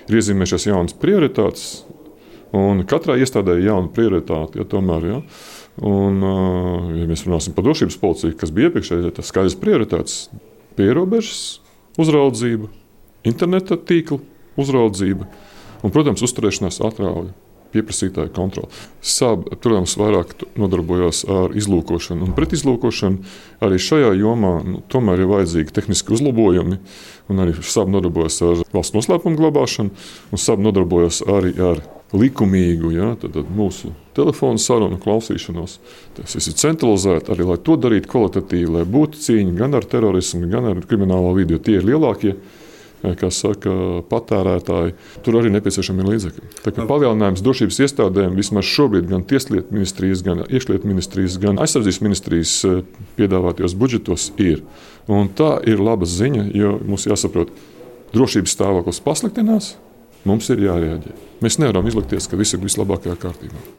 ir iezīmējušās jaunas prioritātes, un katrai iestādē ir jauna prioritāte. Ja, tomēr, ja. Un, ja mēs runāsim par drošības policiju, kas bija iepriekšējais, tas skaidrs prioritātes - pierobežas uzraudzība, interneta tīkla uzraudzība un, protams, uzturēšanās atrauja. Pieprasītāja kontrole. SAB, protams, vairāk nodarbojās ar izlūkošanu un pretizlūkošanu. Arī šajā jomā tomēr ir vajadzīgi tehniski uzlabojumi. Un arī SAB nodarbojas ar valsts noslēpumu glabāšanu, un SAB nodarbojas arī ar likumīgu mūsu telefonu sarunu klausīšanos. Tas viss ir centralizēti, arī lai to darītu kvalitatīvi, lai būtu cīņa gan ar terorismu, gan ar kriminālo vidi, jo tie ir lielākie, kā saka, patērētāji. Tur arī nepieciešami līdzekļi. Tā kā palielinājums drošības iestādēm vismaz šobrīd gan Tieslietu ministrijas, gan Iekšlietu ministrijas, gan Aizsardzības ministrijas piedāvātajos budžetos ir. Un tā ir laba ziņa, jo mums jāsaprot, drošības stāvoklis pasliktinās, mums ir jārēģē. Mēs nevaram izlikties, ka viss ir vislabākajā kārtībā.